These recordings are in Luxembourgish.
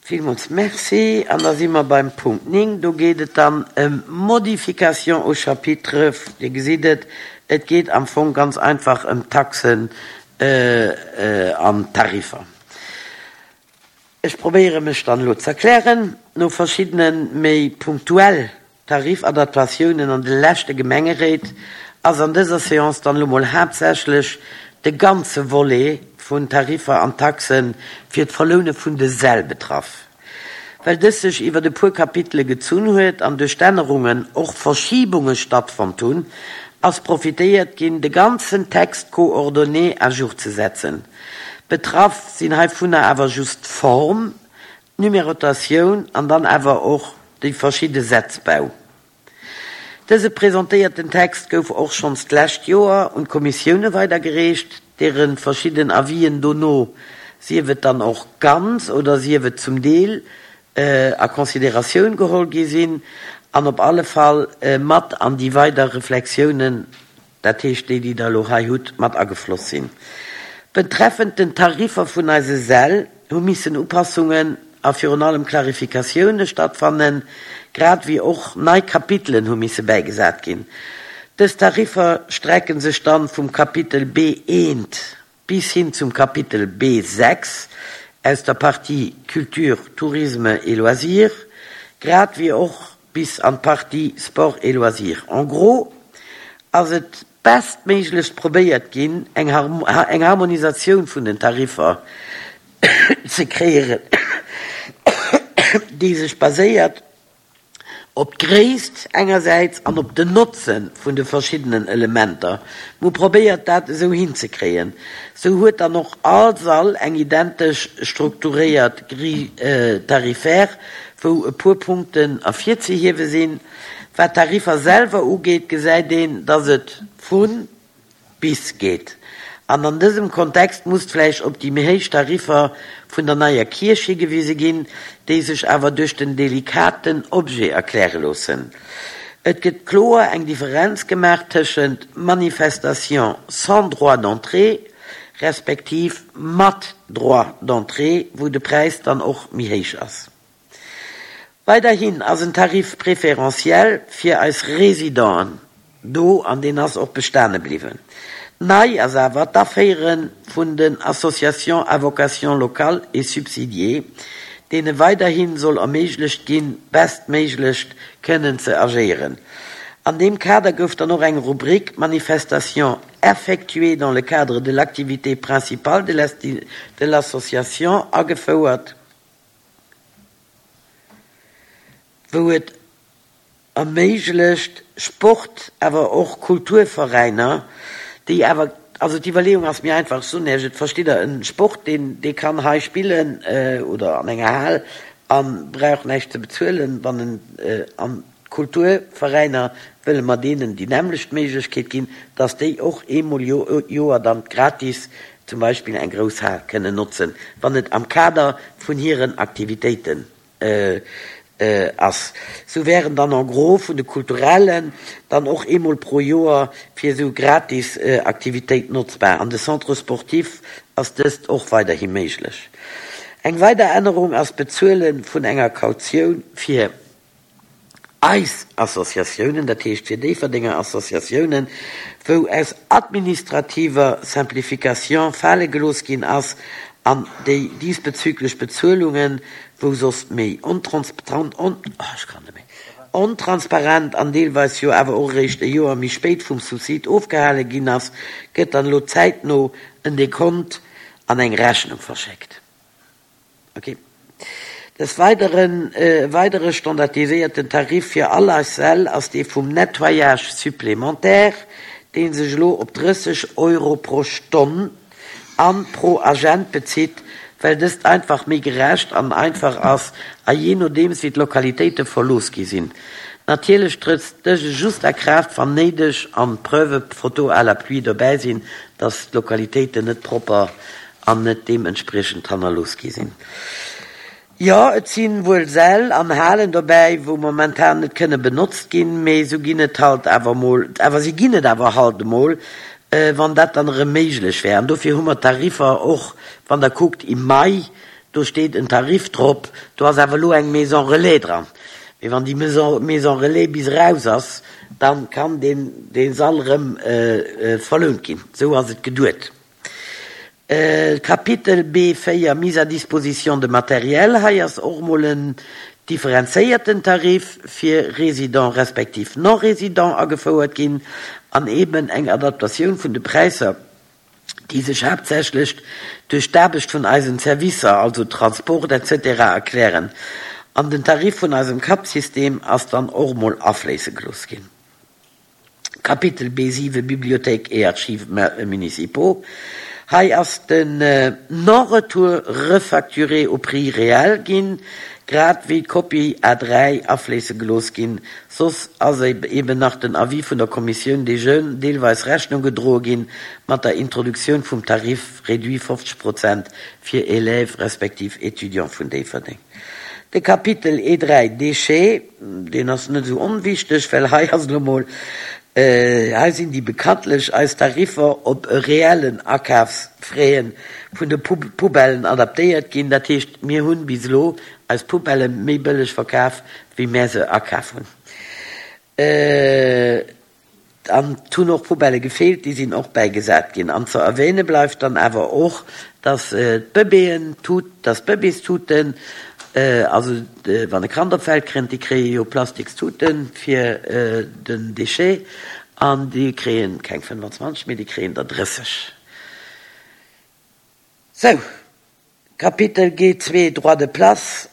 Villmools Merci. An da si mer beim Punkt 9. Do geet et dann ëm Modifications au chapitre. Dir gesitt et, et geet am Fong ganz einfach ëm d'Taxen an d'Tariffer. Ech probéiere mech dann elo z'erklären. No verschiddene méi punktuell Tarifadaptatiounen an de leschte Gemengeréit ass an dëser Séance dann elo mol haaptsächlech de ganze Volet vun Tariffer an Taxe fir d'Verloune vun de Säll betraff. Well dës sech iwwert e puer Kapitele gezunn huet an duerch d'Ännerungen och Verschibunge stattfonnt hunn, ass profitéiert ginn, de ganzen Text coordonné à jour ze setzen. Betraff sinn heivunner awer just d'Form, d'Numerotatioun an dann awer och déi verschidde Sätzbau. Dëse presentéierten Text gouf och schonns d'lescht Joer un d'Kommissioune weidergereecht, deere verschidden Avisen dono, sief et dann och ganz oder sief et zum Deel, a Consideratioun geholl gi sinn an op alle Fall mat an déi weider Reflexiounen dat heescht déi, déi Der elo hei hutt, mat agefloss sinn. Betreffend den Tariffer vun eise Säll hu missen Upassungen a virun allem Klarifikatioune stattfannen, grad wéi och nei Kapitelen hu misse bäigesat ginn. Dës Tariffer strecke sech dann vum Kapitel B1 bis hin zum Kapitel B6 aus der Partie Culture, Tourisme et Loisirs, grad wéi och bis an d'Partie Sport et Loisirs. En gros ass et bestméiglechst probéiert ginn, eng Harmonisatioun vun den Tariffer ze kreéieren, déi sech baséiert op d'Gréisst engersäits an op den Notze vun de verschiddenen Elementer. Mer hu probéiert, dat esou hinzekréien. Sou huet dann och all Sall eng identesch strukturéiert Grille tarifaire, wou e puer Punkten ervirzehiewe sinn. Wat d'Tariffer selwer ugeet, gesäit een, dass et vu bis geet. An an dësem Kontext muss vläicht op déi méi héich Tariffer vun der neier Kierch higewise ginn, déi sech awer duerch den delikaten Objet erkläre loossen. Et gëtt kloer eng Differenz gemaach tëschent Manifestation sans droit d'entrée respektiv mat droit d'entrée, wou de Präis dann och méi héich ass. Weiderhin ass en Tarif préférentiel fir eis Résidenten do an deen ass och bestane bliwwen. Nei ass awer d'Aféiere vun den Associations à vocation locale et subsidiée, deene weiderhi soll erméiglecht ginn, bestméiglecht kënnen ze agéieren. An deem Kader gouf dann och eng Rubrik Manifestations effectuées dans le cadre de l'activité principale de l'association agefouert. wou et erméiglecht, Sport, awer och Kulturveräiner, déi awer, also d'Iwwerleeung ass méi einfach, ech soen Iech et, verstitt Der, e Sport, deen, dee kann hei spillen oder an enger Hal a brauch näischt ze bezuelen, wann en an d'Kulturveräiner wëlle mer deenen déi nämmlecht Méiglechkeet ginn, dass déi och eemol Joer dann gratis zum Beispill eng grouss Hal kënnen notzen, wann et am Kader vun hiren Aktivitéiten ass. Sou wären dann en gros vun de Kulturellen dann och eemol pro Joer fir esou gratis Aktivitéit notzbar. An de Centres sportifs ass dëst och weiderhi méiglech. Eng weider Ännerung ass d'Bezuele vun enger Kautioun fir Eis Associatiounen, dat heescht fir Déifferdenger Associatiounen, wou aus administrativer Simplification fale gelooss ginn ass an déi diesbezüglech Bezuelungen, wou soss méi ontransparent an deelweis jo awer och eréischt e Joer méi spéit vum Subsid ofgehale ginn ass, gëtt dann elo zäitno en Dekont an eng Rechnung verschéckt. Ok. Des Weideren, e weidere standardiséierten Tarif fir all eis Säll ass dee vum Nettoyage supplémentaire, dee sech elo op 30 Euro pro Stonn a pro Agent bezitt, well dëst einfach méi gerecht an einfach ass a jee nodeems wéi d'Lokalitéite verlooss gi sinn. Natierlech trëtt dëse just a Kraaft wann néideg an Preuve, photo à l'appui, dobäi sinn, dass d'Lokalitéiten net propper an net deementspriechend hannerlooss gi sinn. Jo, et si wuel Säll an Halen dobäi, wou momentan net kënne benotzt ginn, mee esou ginn et halt awer emol, awer si ginn et awer halt emol, wann dat dann erëm méiglech wär. An dofir hu mer d'Tariffer och, wann Der kuckt, im Mai. Do steet en Tarif drop. Do ass awer elo eng Maison relais dran. Mee wann déi Maison relais bis eraus ass, da kann deen dee Sall erëm verlount ginn. Esou ass et geduet. Kapitel B4, Mise à disposition de matériel, Hei ass och emol en differenzéierten Tarif fir Résidents respektiv Non-Résidents agefouert ginn an eeben eng Adaptatioun vun de Präisser, déi sech haaptsächlech duerch d'Aarbecht vun eisen Servicer, also Transport etc. Erklären. An den Tarif vun eisem Cup-System ass dann och emol afléisse gelooss ginn. Kapitel B7 Bibliothèque et archives municipaux, Hei ass den Non-retour refacturé au prix réel ginn, grad wéi d'Kopie A 3 afléisse gelooss ginn. Soss ass eben nach den Avis vun der Kommissioun des Jeunes deelweis Rechnung gedroe ginn mat der Introduktioun vum Tarif réduit 50 Prozent fir Élèves respektiv Étudiants vun Déifferdeng. De Kapitel E3 Déchets, deen ass net esou onwichteg, well hei ass elo mol, hei sinn déi bekanntlech eis Tariffer op e reellen Akafsfraie vun de Poubellen adaptéiert ginn. Dat heescht, mir hunn bis elo eis Poubelle méi bëlleg verkaf, wéi mär se akaf hunn. An et hunn och Poubellë gefeelt, déi sinn och bäigesat ginn. An ze erwähne bleift dann awer och, dass d'Bëbeeën, dass d'Bëbeestuten, also wann e Kand op d'Welt kënnt, déi kréie jo Plastikstute fir den Déchet an déi kréie keng 25, mee déi kréien der 30. Sou, Kapitel G2, Droits de place,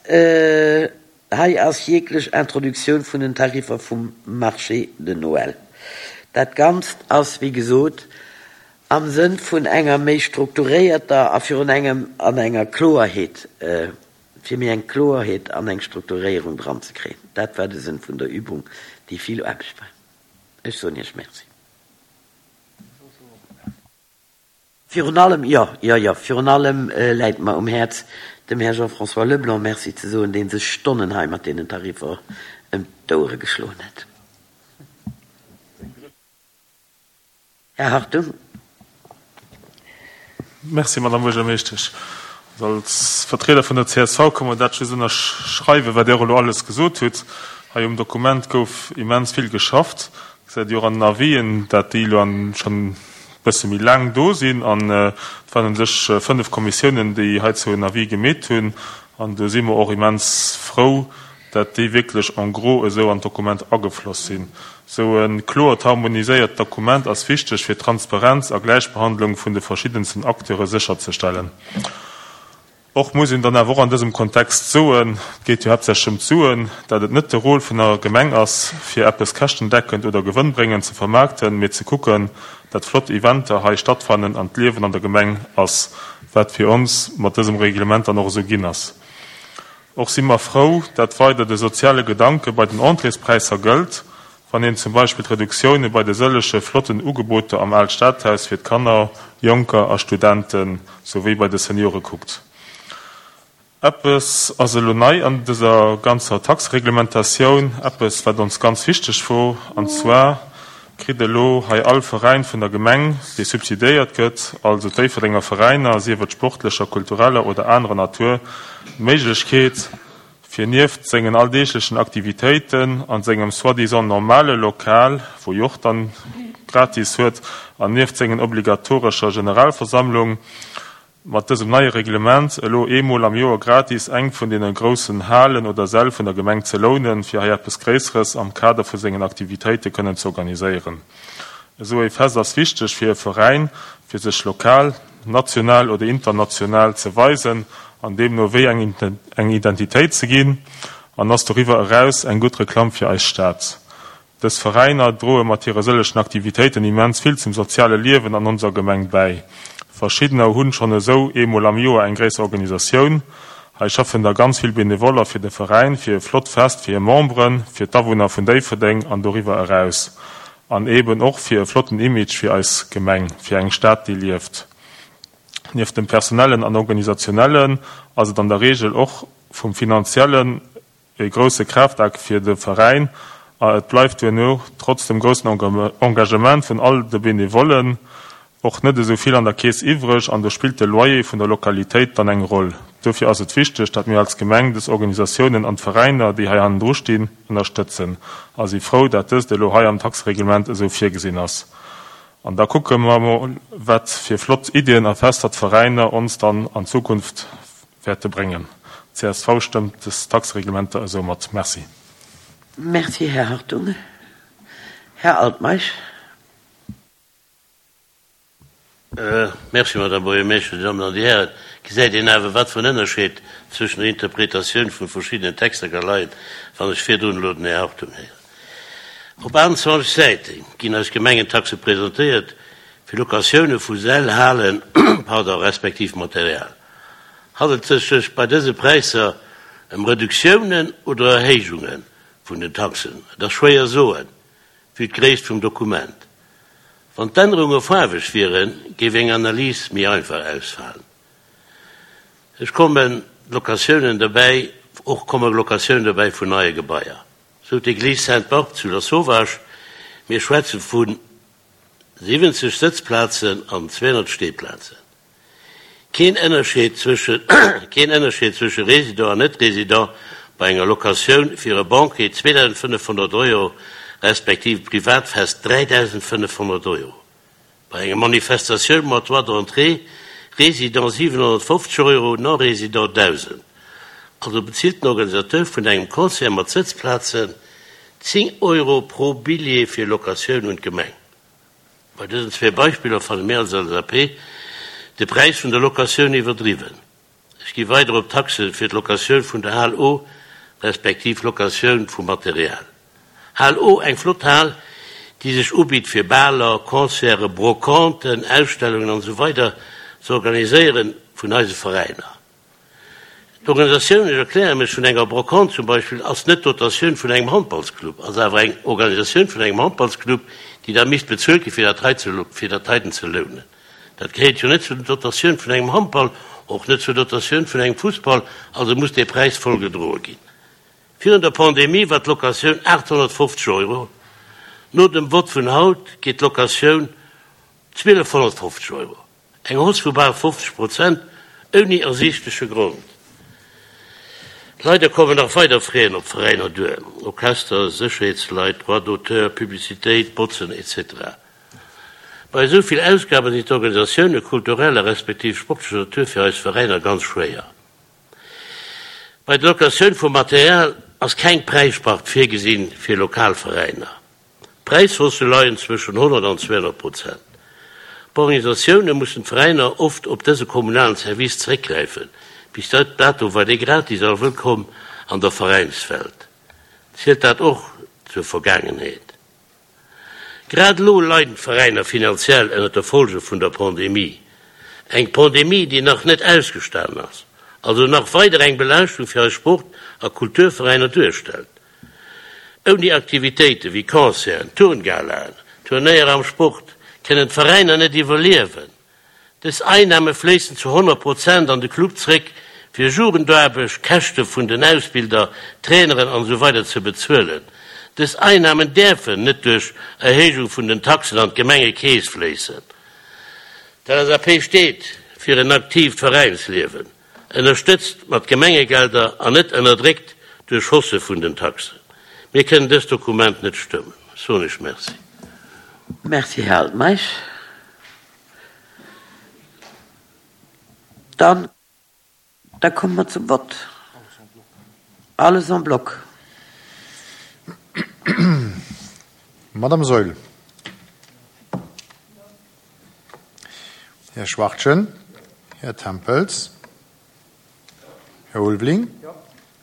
Hei ass jeglech Introduktioun vun den Tariffer vum Marché de Noël. Dat Ganzt ass, wéi gesot, am Sënn vun enger méi strukturéierter a virun engem an enger Kloerheet, fir méi eng Kloerheet an eng Strukturéierung dranzekréien. Dat war de Sënn vun der Übung, déi vill Aarbecht war. Ech soen Iech Merci. Virun allem, jo, jo, jo, virun allem läit mer um Häerz, dem Här Jean-François Leblanc Merci ze soen, dee sech Stonnen hei mat deenen Tariffer ëm d'Ouere geschloen huet. Här Hartung. Merci, Madame Buergermeeschtesch. Als Vertrieder vun der csv ka mer dat just ënnerschreiwen, wat Dir och elo alles gesot hutt. Hei um Dokument gouf immens vill geschafft. Gesäit Dir och an den Avisen, dat déi elo schonn e bësse méi laang do sinn. An et waren u sech fënnef Kommissiounen, déi heizou en Avis gemeet hunn. An do si mer och immens frou, dat déi wierklech en gros esou an d'Dokument agefloss sinn. Esou e kloert, harmoniséiert Dokument ass wichteg, fir Transparenz a Gläichbehandlung vun de verschiddensten Acteure sécherzestellen. Och muss een dann awer och an dësem Kontext soen, et geet jo haaptsächlech ëm d'Suen, dat et net de Rôle vun der Gemeng ass, fir eppes käschtendeckend oder gewënnbréngend ze vermaarkten, mee ze kucken, dat flott Eventer hei stattfannen an d'Liewen an der Gemeng ass, wat fir ons mat dësem Reglement dann och esou ginn ass. Och si mer frou, dat weider de soziale Gedanke bei den Entréespräisser gëllt, wann een zum Beispill d'Reduktioune bei de sëllege flotten Ugeboter am Aalt Stadhaus fir d'Kanner, Jonker a Studente souwéi bei de Seniore kuckt. Eppes ass elo nei an dëser ganzer Taxereglementatioun, eppes wat ons ganz wichteg wor, an zwar kritt elo hei all Veräin vun der Gemeng, dee subsidiéiert gëtt, also d'Déifferdenger Veräiner, sief et sportlecher, kultureller oder anerer Natur, d'Méiglechkeet, fir nieft sengen alldeeglechen Aktivitéiten an sengem soi-disant normale Lokal, wou jo och dann gratis huet, an nieft sengen obligatorescher Generalversammlung, mat dësem neie Reglement elo eemol am Joer gratis eng vun deene groussen Halen oder Säll vun der Gemeng ze lounen, fir hei eppes Gréisseres am Kader vu sengen Aktivitéite kënnen ze organiséieren. Esou ee Fest ass wichteg fir e Veräin, fir sech lokal, national oder international ze weisen an deemno wéi eng Identitéit ze ginn an ass doriwwer eraus eng gutt Reklamm fir eis Stad. Dës Veräiner droe mat hire sëllechen Aktivitéiten immens vill zum soziale Liewen an onser Gemeng bäi. Verschiddener hunn schonn esou eemol am Joer eng gréisser Organisatioun. Hei schaffen da ganz vill Benevoller fir de Veräin, fir e flott Fest fir hir Memberen, fir d'Awunner vun Déifferdeng an doriwwer eraus. An eeben och fir e flotten Image fir eis Gemeng, fir eng Stad, déi lieft. Nieft dem Personellen an Organisationellen ass et an der Reegel och vum Finanziellen e grousse Kraaftakt fir de Veräin a et bleift duerno, trotz dem groussen Engagement vun all de Benevollen, och net esou vill an der Keess iwwreg an do spillt de Loyer vun der Lokalitéit dann eng Roll. Dofir ass et wichteg, dat mir als Gemeng dës Organisatiounen an d'Veräiner, déi hei hannendru stinn, ënnerstëtzen a si frou, dat dëst elo hei am Taxereglement esou virgesinn ass. An da kucke mer mol, wat fir flott Iddien a Fester d'Veräiner ons dann an Zukunft wäerte bréngen. Csv stëmmt dës Taxereglementer esou mat. Merci. Merci, Här Hartung. Här Altmeisch. Merci, Madame Buergermeeschtesch. Dir Dammen an Dir Hären, gesäit een awer, wat fir en Ënnerscheed zwëschen der Interpretatioun vun verschiddenen Texter ka leien, wann ech virdrun elo den Här Hartung héieren. Op 28 Säite ginn eis Gemengentaxe presentéiert fir Locatioune vu Säll, Halen, pardon, respektiv Material. Handelt et sech bei dëse Präisser ëm Reduktiounen oder Erhéijunge vun den Taxen? Et ass schwéier soen, vue d'Gréisst vum Dokument. Wann d'Ännerunge faarweg wieren, géif eng Analys méi einfach ausfalen. Ech kommen Locatiounen dobäi, och komme Locatiounen dobäi vun neie Gebaier, sou d'Église Sainte-Barbe zu Lasauvage. Mir schwätze vu 70 Sëtzplazen an 200 Steeplazen. Keen Ënnerscheed zwësche Keen Ënnerscheed zwësche Résident an Net-Résident bei enger Locatioun fir e Banquet 2.500 Euro respektiv e Privatfest 3.500 Euro. Bei enger Manifestatioun mat Droit d'entrée, Résident 750 Euro, Non-Résident 1.000. Also bezilt den Organisateur vun engem Concert mat Sëtzplazen 10 Euro pro Billjee fir Locatioun un d'Gemeng. Bei dësen zwee Beispiller fanne mir als LSAP de Präis vun der Locatioun iwwerdriwwen. Ech gi weider op d'Taxe fir d'Locatioun vun der Hal O respektiv Locatioun vum Material. Hal O, eng flott Hal, déi sech ubitt fir Baler, Concerten, Brocanten, Ausstellungen an esou weider ze organiséieren vun eise Veräiner. D'Organisatioun, ech erkläre mech, vun enger Brocante zum Beispill ass net d'Dotatioun vun engem Handballsclub, ass awer eng Organisatioun vun engem Handballsclub, déi da misst bezuelt gi fir dat hei ze, fir dat heiten ze lounen. Dat gehéiert jo net zur Dotatioun vun engem Handball, och net zur Dotatioun vun engem Fussball, also muss dee Präis voll gedroe ginn. Virun der Pandemie war d'Locatioun 850 Euro, no dem Vott vun haut geet d'Locatioun 1250 Euro. Eng Hausse vu bal 50 Prozent, ouni ersiichtleche Grond. Leider kommen nach weider Fräen op d'Veräiner duer, Orchester, Sécherheetsleit, Droits d'auteur, Publicitéit, Botzen, etc. Bei esou vill Ausgaben sinn d'Organisatioune kultureller respektiv sportlecher Natur fir eis Veräiner ganz schwéier. Bei der Locatioun vum Material ass keng Präisspart virgesinn fir lokal Veräiner. D'Präishaussë leien zwëschen 100 an 200 Prozent. D'Organisatioune mussen d'Veräiner oft op dëse kommunalen Service zeréckgräifen. Bis dato war dee gratis a wëllkomm an der Veräinswelt. Zielt dat och zur Vergaangenheet? Grad elo leiden d'Veräiner finanziell ënnert de Folge vun der Pandemie. Eng Pandemie, déi nach net ausgestanen ass, also nach weider eng Belaaschtung fir eis Sport a Kulturveräiner duerstellt. Ouni Aktivitéite wéi Concerten, Turngalaen, Turnéier am Sport kënnen d'Veräiner net iwwerliewen. Dës Einname fléissen zu 100 Prozent an de Club zréck, fir Jugendaarbecht, Käschte vun den Ausbilder, Traineren an esou weider ze bezuelen. Dës Einnamen däerfen net duerch Erhéijung vun den Taxen an d'Gemengekeess fléissen. D'LSAP steet fir en aktiivt Veräinsliewen. Ënnerstëtzt mat Gemengegelder an net ënnerdréckt duerch Hausse vun den Taxen. Mir kënnen dëst Dokument net stëmmen. Ech soen Iech Merci. Merci, Här Altmeisch. Dann, da komme mer zum Vott. Alles en bloc. Madame Saeul. Här Schwachtgen, Här Tempels, Här Ulveling,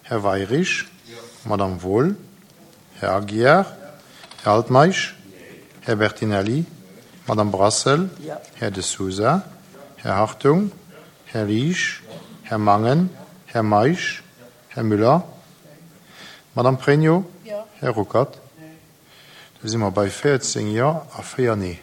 Här Weirich, Madame Wohl, Här Aguiar, Här Altmeisch, Här Bertinelli, Madame Brassel, Här De Sousa, Här Hartung, Här Liesch, Här Mangen, Här Meisch, Här Müller, Madame Pregno, Här Ruckert. Da si mer bei 14 Jo a 4 Nee.